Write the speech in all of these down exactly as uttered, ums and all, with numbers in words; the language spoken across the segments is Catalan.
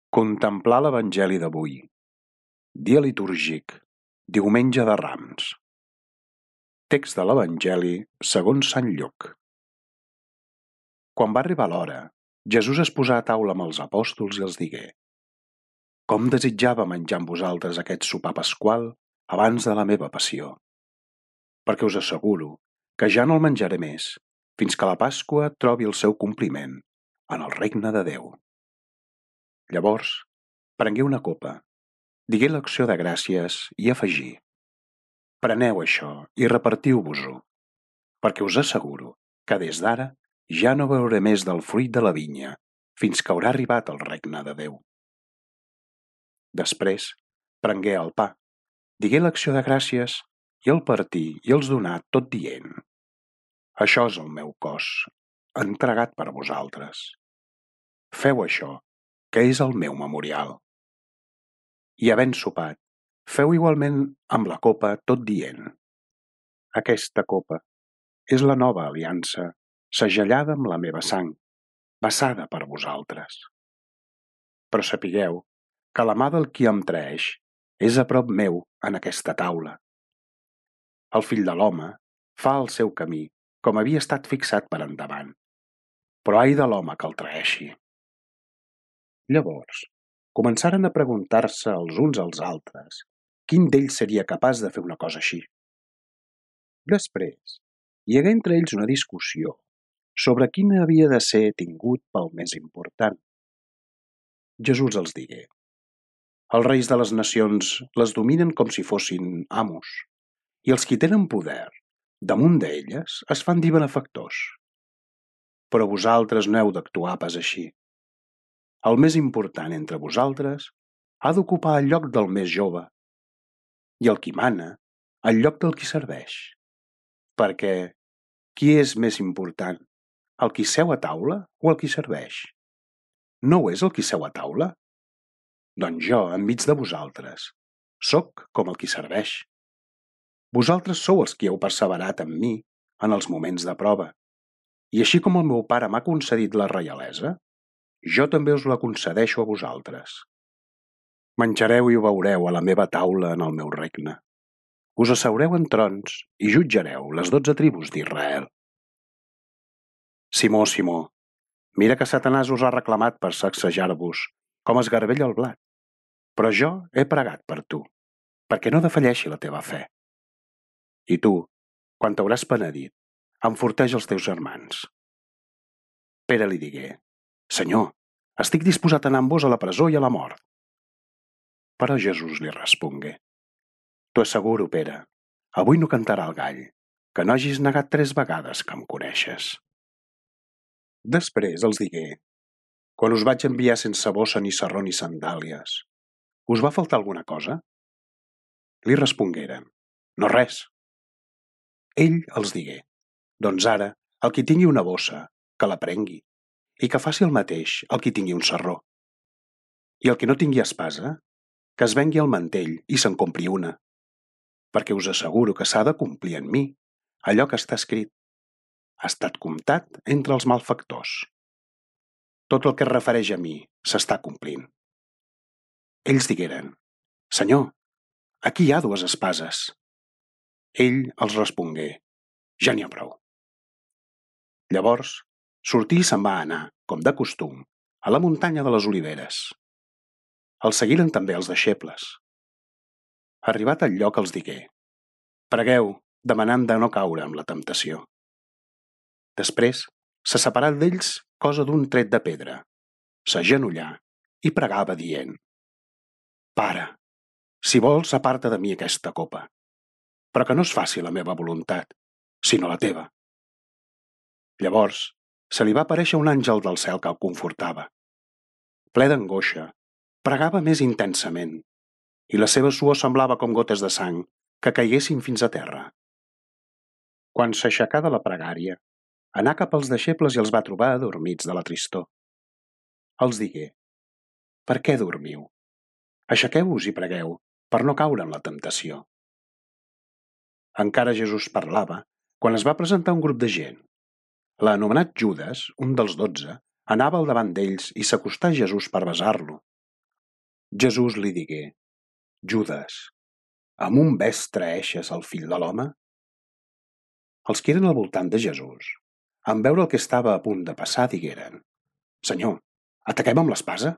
Contemplar l'Evangeli d'avui. Dia litúrgic, diumenge de Rams. Text de l'Evangeli segons Sant Lluc. Quan va arribar l'hora, Jesús es posà a taula amb els apòstols i els digué: Com desitjava menjar amb vosaltres aquest sopar pasqual abans de la meva passió. Perquè us asseguro que ja no el menjaré més, fins que la Pasqua trobi el seu compliment en el regne de Déu. Llavors, prengué una copa, digué l'acció de gràcies i afegí: Preneu això i repartiu-vos-ho, perquè us asseguro que des d'ara ja no beuré més del fruit de la vinya fins que haurà arribat el regne de Déu. Després, prengué el pa, digué l'acció de gràcies i el partí i els donà tot dient: Això és el meu cos, entregat per vosaltres. Feu això, que és el meu memorial. I havent sopat, feu igualment amb la copa tot dient: Aquesta copa és la nova aliança, segellada amb la meva sang, vessada per vosaltres. Però sapigueu que la mà del qui em traeix és a prop meu en aquesta taula. El fill de l'home fa el seu camí com havia estat fixat per endavant, però ai de l'home que el traeixi. Llavors, començaren a preguntar-se els uns als altres quin d'ells seria capaç de fer una cosa així. Després, hi hagué entre ells una discussió sobre quin havia de ser tingut pel més important. Jesús els digué: Els reis de les nacions les dominen com si fossin amos, i els qui tenen poder damunt d'elles es fan dir benefactors. Però vosaltres no heu d'actuar pas així. El més important entre vosaltres ha d'ocupar el lloc del més jove, i el qui mana, el lloc del qui serveix. Perquè qui és més important, el qui seu a taula o el qui serveix? No ho és el qui seu a taula? Doncs jo, enmig de vosaltres, sóc com el qui serveix. Vosaltres sou els qui heu perseverat amb mi en els moments de prova, i així com el meu pare m'ha concedit la reialesa, jo també us la concedeixo a vosaltres. Menjareu i beureu a la meva taula en el meu regne. Us asseureu en trons i jutjareu les dotze tribus d'Israel. Simó, Simó, mira que Satanàs us ha reclamat per sacsejar-vos com es garbella el blat, però jo he pregat per tu, perquè no defalleixi la teva fe. I tu, quan t'hauràs penedit, enforteix els teus germans. Pere li digué: Senyor, estic disposat a anar amb vos a la presó i a la mort. Però Jesús li respongué: T'ho asseguro, Pere, avui no cantarà el gall, que no hagis negat tres vegades que em coneixes. Després els digué: Quan us vaig enviar sense bossa ni sarró ni sandàlies, us va faltar alguna cosa? Li respongueren: No res. Ell els digué: Doncs ara, el qui tingui una bossa, que la prengui, i que faci el mateix el qui tingui un sarró. I el qui no tingui espasa, que es vengui el mantell i se'n compri una, perquè us asseguro que s'ha de complir en mi allò que està escrit: ha estat comptat entre els malfactors. Tot el que es refereix a mi s'està complint. Ells digueren: Senyor, aquí hi ha dues espases. Ell els respongué: Ja n'hi ha prou. Llavors sortí i se'n va anar, com de costum, a la muntanya de les Oliveres. El seguiren també els deixebles. Arribat al lloc els digué: Pregueu, demanant de no caure en la temptació. Després se separà d'ells cosa d'un tret de pedra, s'agenollà i pregava dient: Pare, si vols, aparta de mi aquesta copa, però que no es faci la meva voluntat, sinó la teva. Llavors se li va aparèixer un àngel del cel que el confortava. Ple d'angoixa, pregava més intensament, i la seva suor semblava com gotes de sang que caiguessin fins a terra. Quan s'aixecà de la pregària, anà cap als deixebles i els va trobar adormits de la tristor. Els digué: Per què dormiu? Aixequeu-vos i pregueu, per no caure en la temptació. Encara Jesús parlava quan es va presentar un grup de gent. L'anomenat Judes, un dels dotze, anava al davant d'ells i s'acostà a Jesús per besar-lo. Jesús li digué: Judes, amb un bes traeixes el fill de l'home? Els qui eren al voltant de Jesús, en veure el que estava a punt de passar, digueren: Senyor, ataquem amb l'espasa?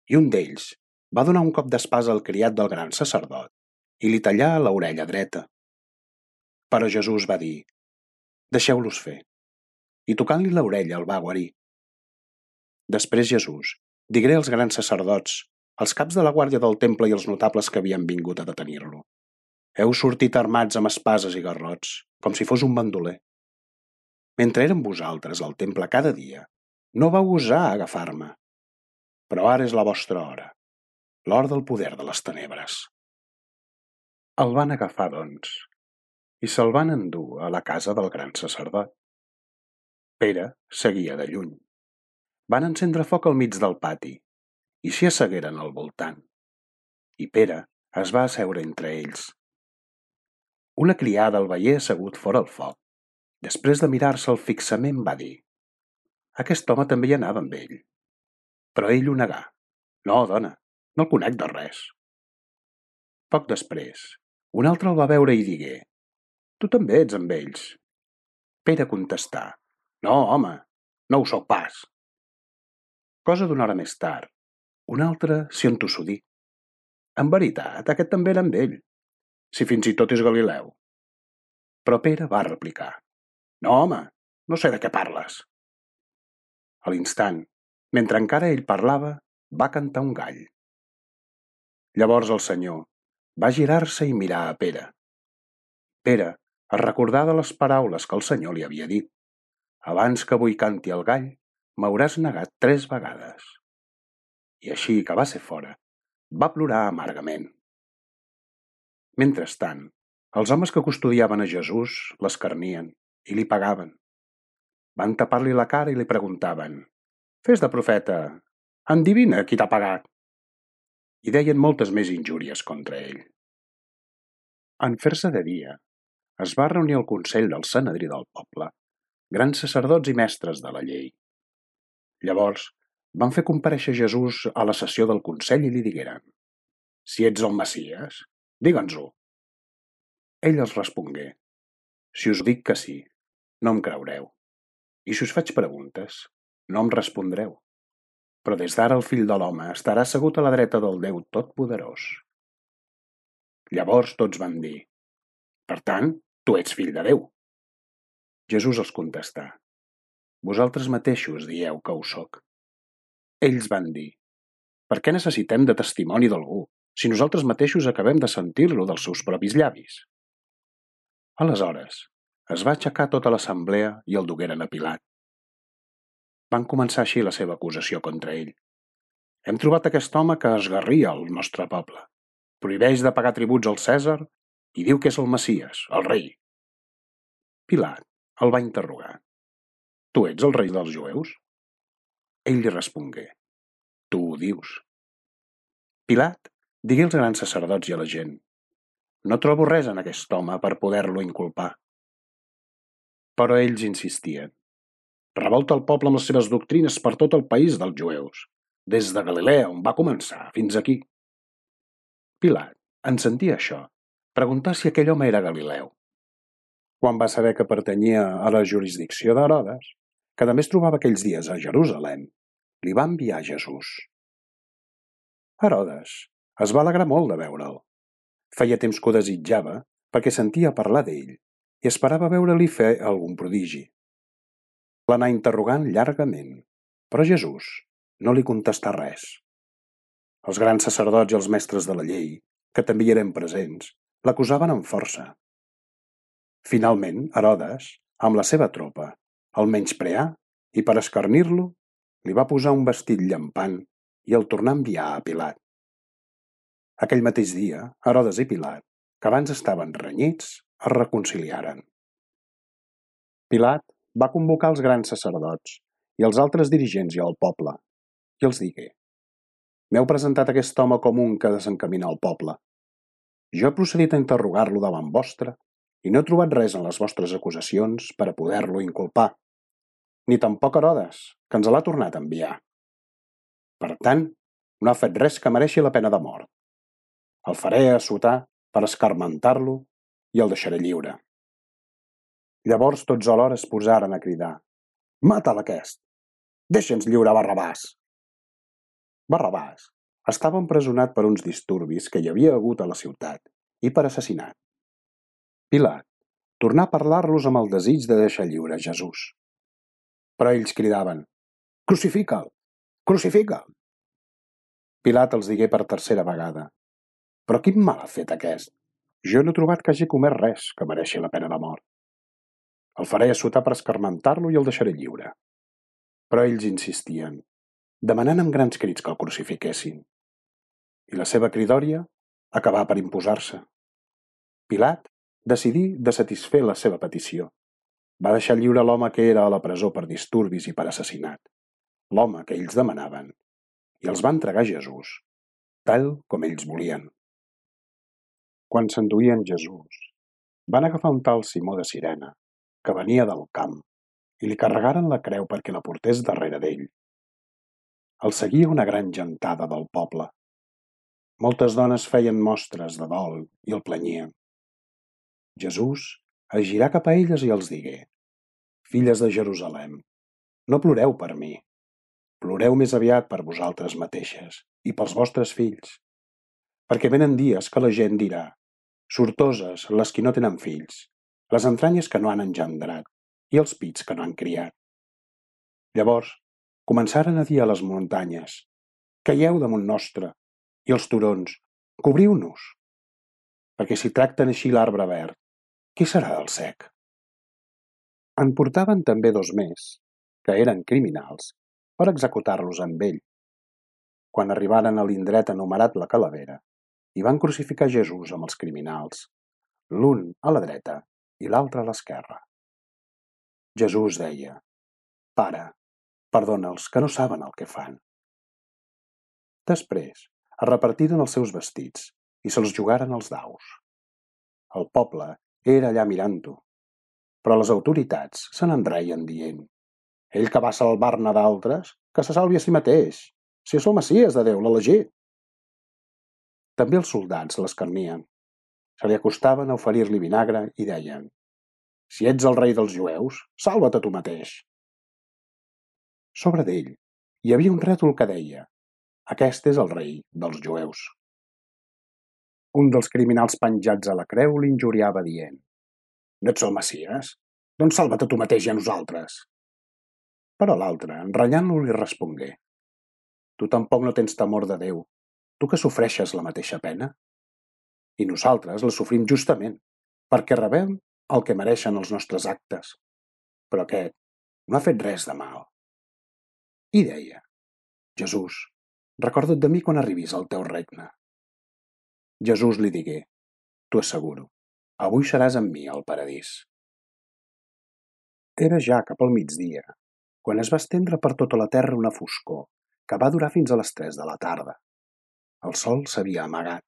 I un d'ells va donar un cop d'espasa al criat del gran sacerdot i li tallà l'orella dreta. Però Jesús va dir: Deixeu-los fer. I tocant-li l'orella el va guarir. Després Jesús digué als grans sacerdots, als caps de la guàrdia del temple i als notables que havien vingut a detenir-lo: Heu sortit armats amb espases i garrots, com si fos un bandoler. Mentre érem vosaltres al temple cada dia, no vau gosar agafar-me. Però ara és la vostra hora, l'hora del poder de les tenebres. El van agafar, doncs, i se'l van endur a la casa del gran sacerdot. Pere seguia de lluny. Van encendre foc al mig del pati i s'hi assegueren al voltant. I Pere es va asseure entre ells. Una criada el veié assegut fora el foc. Després de mirar-se'l fixament va dir: Aquest home també hi anava amb ell. Però ell ho negà. No, dona, no el conec de res. Poc després, un altre el va veure i digué: Tu també ets amb ells. Pere contestà: No, home, no ho sóc pas. Cosa d'una hora més tard, un altre s'hi entossudí: En veritat, aquest també era amb ell, si fins i tot és Galileu. Però Pere va replicar: No, home, no sé de què parles. A l'instant, mentre encara ell parlava, va cantar un gall. Llavors el Senyor va girar-se i mirar a Pere. Pere es recordà de les paraules que el Senyor li havia dit: Abans que avui canti el gall, m'hauràs negat tres vegades. I així que va ser fora, va plorar amargament. Mentrestant, els homes que custodiaven a Jesús l'escarnien i li pagaven. Van tapar-li la cara i li preguntaven: Fes de profeta, endivina qui t'ha pagat. I deien moltes més injúries contra ell. En fer-se de dia, es va reunir el consell del Sanedrí del poble, grans sacerdots i mestres de la llei. Llavors van fer comparèixer Jesús a la sessió del consell i li digueren: Si ets el Messies, digue'ns-ho. Ell els respongué: Si us dic que sí, no em creureu. I si us faig preguntes, no em respondreu. Però des d'ara el fill de l'home estarà assegut a la dreta del Déu Totpoderós. Llavors tots van dir: Per tant, tu ets fill de Déu. Jesús els contestà: Vosaltres mateixos dieu que ho soc. Ells van dir: Per què necessitem de testimoni d'algú, si nosaltres mateixos acabem de sentir-lo dels seus propis llavis? Aleshores, es va aixecar tota l'assemblea i el dugueren a Pilat. Van començar així la seva acusació contra ell: Hem trobat aquest home que esgarria el nostre poble, prohibeix de pagar tributs al Cèsar i diu que és el Messies, el rei. Pilat el va interrogar: Tu ets el rei dels jueus? Ell li respongué: Tu ho dius. Pilat digué als grans sacerdots i a la gent: No trobo res en aquest home per poder-lo inculpar. Però ells insistien: Revolta el poble amb les seves doctrines per tot el país dels jueus, des de Galilea, on va començar, fins aquí. Pilat, en sentir això, preguntà si aquell home era Galileu. Quan va saber que pertanyia a la jurisdicció d'Herodes, que també es trobava aquells dies a Jerusalem, li va enviar Jesús. Herodes es va alegrar molt de veure'l. Feia temps que ho desitjava perquè sentia parlar d'ell i esperava veure-li fer algun prodigi. L'anà interrogant llargament, però Jesús no li contestà res. Els grans sacerdots i els mestres de la llei, que també hi eren presents, l'acusaven amb força. Finalment, Herodes, amb la seva tropa, el menyspreà i per escarnir-lo, li va posar un vestit llampant i el tornà a enviar a Pilat. Aquell mateix dia, Herodes i Pilat, que abans estaven renyits, es reconciliaren. Pilat va convocar els grans sacerdots i els altres dirigents i el poble, i els digué: M'heu presentat aquest home com un que desencamina el poble. Jo he procedit a interrogar-lo davant vostre i no he trobat res en les vostres acusacions per a poder-lo inculpar, ni tampoc Herodes, que ens l'ha tornat a enviar. Per tant, No ha fet res que mereixi la pena de mort. El faré assotar per escarmentar-lo i el deixaré lliure. Llavors tots alhora es posaren a cridar: «Mata'l aquest! Deixa'ns lliure Barrabàs!» Barrabàs estava empresonat per uns disturbis que hi havia hagut a la ciutat i per assassinat. Pilat tornà a parlar-los amb el desig de deixar lliure Jesús. Però ells cridaven: «Crucifica'l! Crucifica'l!» Pilat els digué per tercera vegada: «Però quin mal ha fet aquest? Jo no he trobat que hagi comès res que mereixi la pena de mort. El faré assotar per escarmentar-lo i el deixaré lliure». Però ells insistien, demanant amb grans crits que el crucifiquessin. I la seva cridòria acabà per imposar-se. Pilat decidí de satisfer la seva petició. Va deixar lliure l'home que era a la presó per disturbis i per assassinat, l'home que ells demanaven, i els va entregar a Jesús, tal com ells volien. Quan s'enduien Jesús, van agafar un tal Simó de Cirene, que venia del camp, i li carregaren la creu perquè la portés darrere d'ell. El seguia una gran gentada del poble. Moltes dones feien mostres de dol i el planyien. Jesús es girà cap a elles i els digué: «Filles de Jerusalem, no ploreu per mi, ploreu més aviat per vosaltres mateixes i pels vostres fills, perquè venen dies que la gent dirà: sortoses les qui no tenen fills, les entranyes que no han engendrat i els pits que no han criat». Llavors començaren a dir a les muntanyes: «Caieu damunt nostre», i els turons: «Cobriu-nos», perquè si tracten així l'arbre verd, què serà del sec? En portaven també dos més, que eren criminals, per executar-los amb ell. Quan arribaren a l'indret anomenat la Calavera, hi van crucificar Jesús amb els criminals, l'un a la dreta i l'altre a l'esquerra. Jesús deia: «Pare, perdona'ls, que no saben el que fan». Després es repartiren els seus vestits i se'ls jugaren els daus. El poble era allà mirant-ho, però les autoritats se n'enreien dient: «Ell que va salvar-ne d'altres, que se salvi a si mateix, si és el Messies de Déu, l'elegit». També els soldats l'escarnien. Se li acostaven a oferir-li vinagre i deien: «Si ets el rei dels jueus, salva't a tu mateix». Sobre d'ell hi havia un rètol que deia: «Aquest és el rei dels jueus». Un dels criminals penjats a la creu l'injuriava dient: «No ets el Messies? Doncs salva't a tu mateix i a nosaltres». Però l'altre, enrenyant-lo, li respongué: «Tu tampoc no tens temor de Déu, tu que sofreixes la mateixa pena? I nosaltres la sofrim justament, perquè rebem el que mereixen els nostres actes. Però aquest no ha fet res de mal». I deia: «Jesús, recorda't de mi quan arribis al teu regne». Jesús li digué: «T'ho asseguro, avui seràs amb mi al paradís». Era ja cap al migdia, quan es va estendre per tota la terra una foscor que va durar fins a les tres de la tarda. El sol s'havia amagat.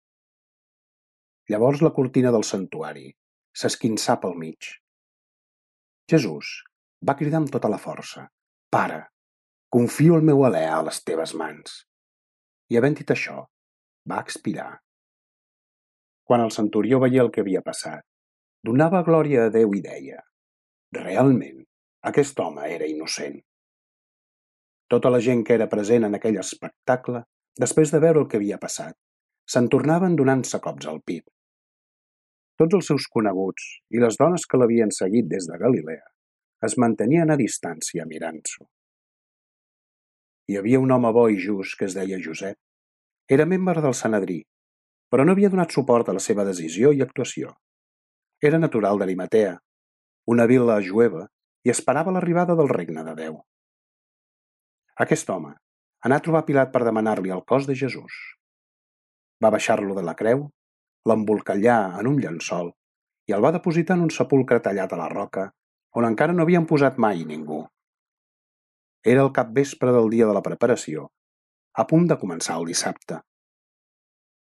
Llavors la cortina del santuari s'esquinçà pel mig. Jesús va cridar amb tota la força: «Pare, confio el meu alè a les teves mans». I havent dit això, va expirar. Quan el centurió veia el que havia passat, donava glòria a Déu i deia: «Realment, aquest home era innocent». Tota la gent que era present en aquell espectacle, després de veure el que havia passat, se'n tornaven donant-se cops al pit. Tots els seus coneguts i les dones que l'havien seguit des de Galilea es mantenien a distància mirant-s'ho. Hi havia un home bo i just que es deia Josep. Era membre del Sanedrí, però no havia donat suport a la seva decisió i actuació. Era natural d'Arimatea, una vila jueva, i esperava l'arribada del regne de Déu. Aquest home anà a trobar Pilat per demanar-li el cos de Jesús. Va baixar-lo de la creu, l'embolcallà en un llençol i el va depositar en un sepulcre tallat a la roca on encara no havien posat mai ningú. Era el capvespre del dia de la preparació, a punt de començar el dissabte.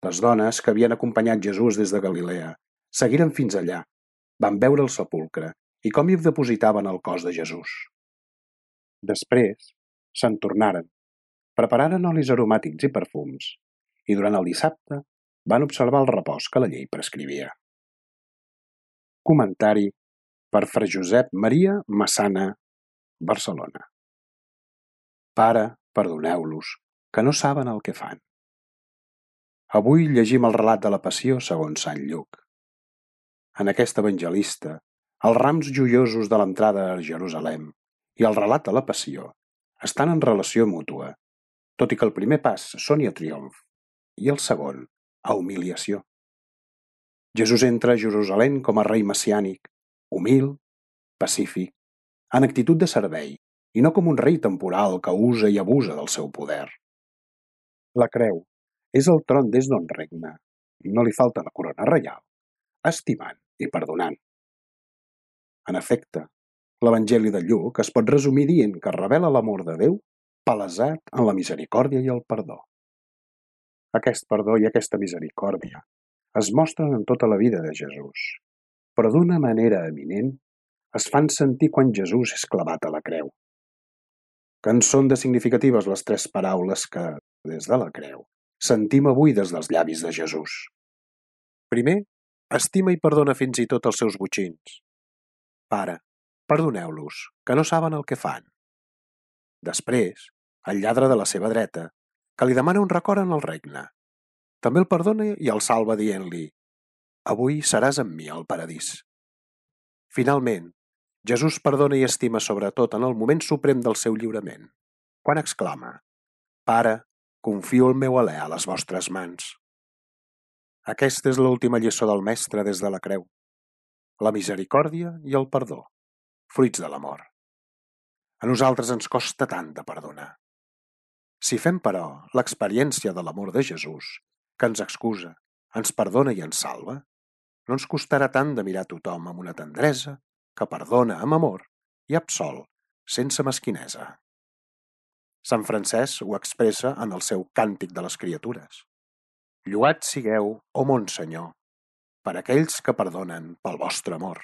Les dones que havien acompanyat Jesús des de Galilea seguiren fins allà, van veure el sepulcre i com hi depositaven el cos de Jesús. Després se'n tornaren Prepararen olis aromàtics i perfums, i durant el dissabte van observar el repòs que la llei prescrivia. Comentari per Fra Josep Maria Massana, Barcelona. Pare, perdoneu-los, que no saben el que fan. Avui llegim el relat de la Passió segons Sant Lluc. En aquest evangelista, els rams joiosos de l'entrada a Jerusalem i el relat de la Passió estan en relació mútua, tot i que el primer pas soni a triomf i el segon a humiliació. Jesús entra a Jerusalem com a rei messiànic, humil, pacífic, en actitud de servei i no com un rei temporal que usa i abusa del seu poder. La creu és el tron des d'on regna, i no li falta la corona reial, estimant i perdonant. En efecte, l'Evangeli de Lluc es pot resumir dient que revela l'amor de Déu palesat en la misericòrdia i el perdó. Aquest perdó i aquesta misericòrdia es mostren en tota la vida de Jesús, però d'una manera eminent es fan sentir quan Jesús és clavat a la creu. Que en són de significatives les tres paraules que, des de la creu, sentim avui des dels llavis de Jesús. Primer, estima i perdona fins i tot els seus botxins. Pare, perdoneu-los, que no saben el que fan. Després, el lladre de la seva dreta, que li demana un record en el regne. També el perdona i el salva dient-li: avui seràs amb mi al paradís. Finalment, Jesús perdona i estima sobretot en el moment suprem del seu lliurament, quan exclama: Pare, confio el meu alè a les vostres mans. Aquesta és l'última lliçó del Mestre des de la creu. La misericòrdia i el perdó, fruits de l'amor. A nosaltres ens costa tant de perdonar. Si fem, però, l'experiència de l'amor de Jesús, que ens excusa, ens perdona i ens salva, no ens costarà tant de mirar tothom amb una tendresa que perdona amb amor i absol sense mesquinesa. Sant Francesc ho expressa en el seu Càntic de les Criatures. Lloats sigueu, ó mon Senyor, per aquells que perdonen pel vostre amor.